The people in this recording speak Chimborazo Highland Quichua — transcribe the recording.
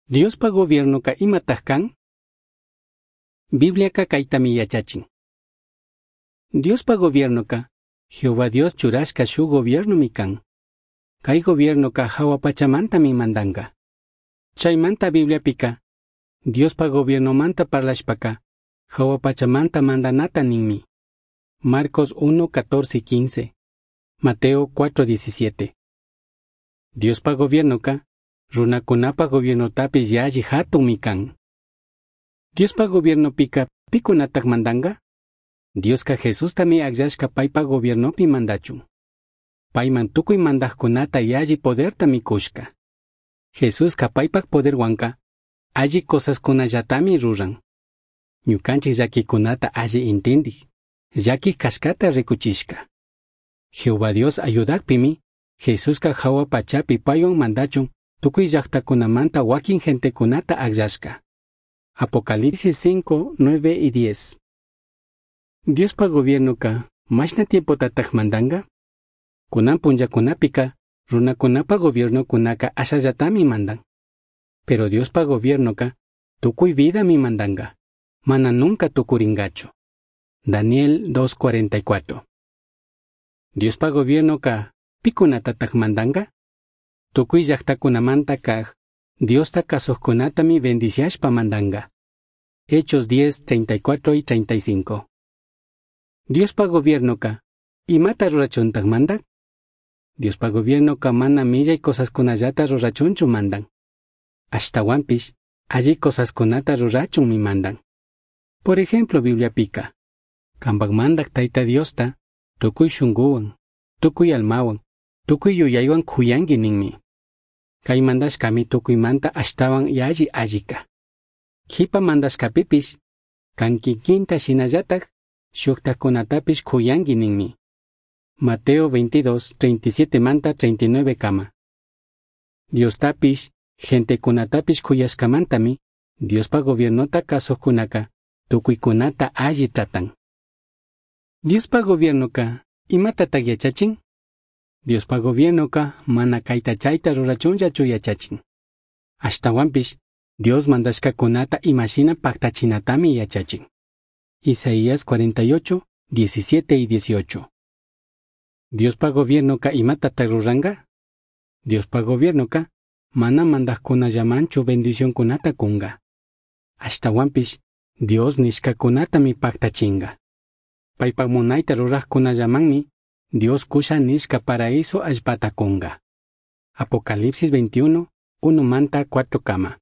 Diospa gobiernoca imataj can? Bibliaca caitami yachachin. Diospa gobiernoca Jehová Dios churashca shuj gobiernomi can. Cai gobiernoca jahua pachamantami mandanga. Chaimanta Bibliapica Diospa gobiernomanta parlashpaca jahua pachamanta mandanata ninmi. Marcos 1, 14 y 15. Mateo 4, 17. Diospa gobiernoca runakunapa gobiernotapish yalli jatunmi can. Diospa gobiernopica picunataj mandanga? Diosca Jesustami agllashca paipa gobiernopi mandachun. Paiman tucui mandajcunata yalli podertami cushca. Jesusca paipac poderhuanca alli cosascunallatami ruran. Ñucanchij llaquicunata alli intindij, llaquij cashcata ricuchishca. Jehová Dios ayudajpimi, Jesusca jahua pachapi paihuan mandachun tucui llajtacunamanta huaquin gentecunata agllashca. Apocalipsis 5, 9 y 10. Diospa gobiernoca, mashna tiempotataj mandanga? Cunan punllacunapica, runacunapa gobiernocunaca ashallatami mandan. Pero Diospa gobiernoca, tucui vidami mandanga, mana nunca tucuringachu. Daniel 2.44. Diospa gobiernoca, picunatataj mandanga? Tucui llajtacunamanta kaj, Diosta cazujcunatami bendiciashpa mandanga. Hechos 10, 34 y 35. Diospa gobiernoca, imata rurachuntaj mandan? Diospa gobiernoca mana millai cosascunallata rurachunchu mandan. Ashtahuanpish, alli cosascunata rurachunmi mandan. Por ejemplo, Bibliapica, cambaj mandaj Taita Diosta, tucui shunguhuan, tucui almahuan, tucui yuyaihuan cuyangui ninmi. Cai mandashcami tucuimanta ashtahuan yalli allica. Jipa mandashcapipish, can kikinta shinallataj, shujtajcunatapish cuyangui ninmi. Mateo 22, 37 manta 39 kama. Diostapish, gentecunatapish cuyashcamantami, Diospa gobiernota cazujcunaca, tucuicunata alli tratan. Diospa gobiernoca, imatataj yachachin? Diospa gobiernoca mana caita chaita rurachunllachu yachachin. Ashtahuanpish, Dios mandashcacunata imashina pactachinatami yachachin. Isaías 48, 17 y 18. Diospa gobiernoca imatataj ruranga? Diospa gobiernoca mana mandajcunallamanchu bendicioncunata cunga. Ashtahuanpish, Dios nishcacunatami pactachinga. Paipac munaita rurajcunallamanmi Dios cusha nishca paraíso allpata cunga. Apocalipsis 21, 1 manta 4 kama.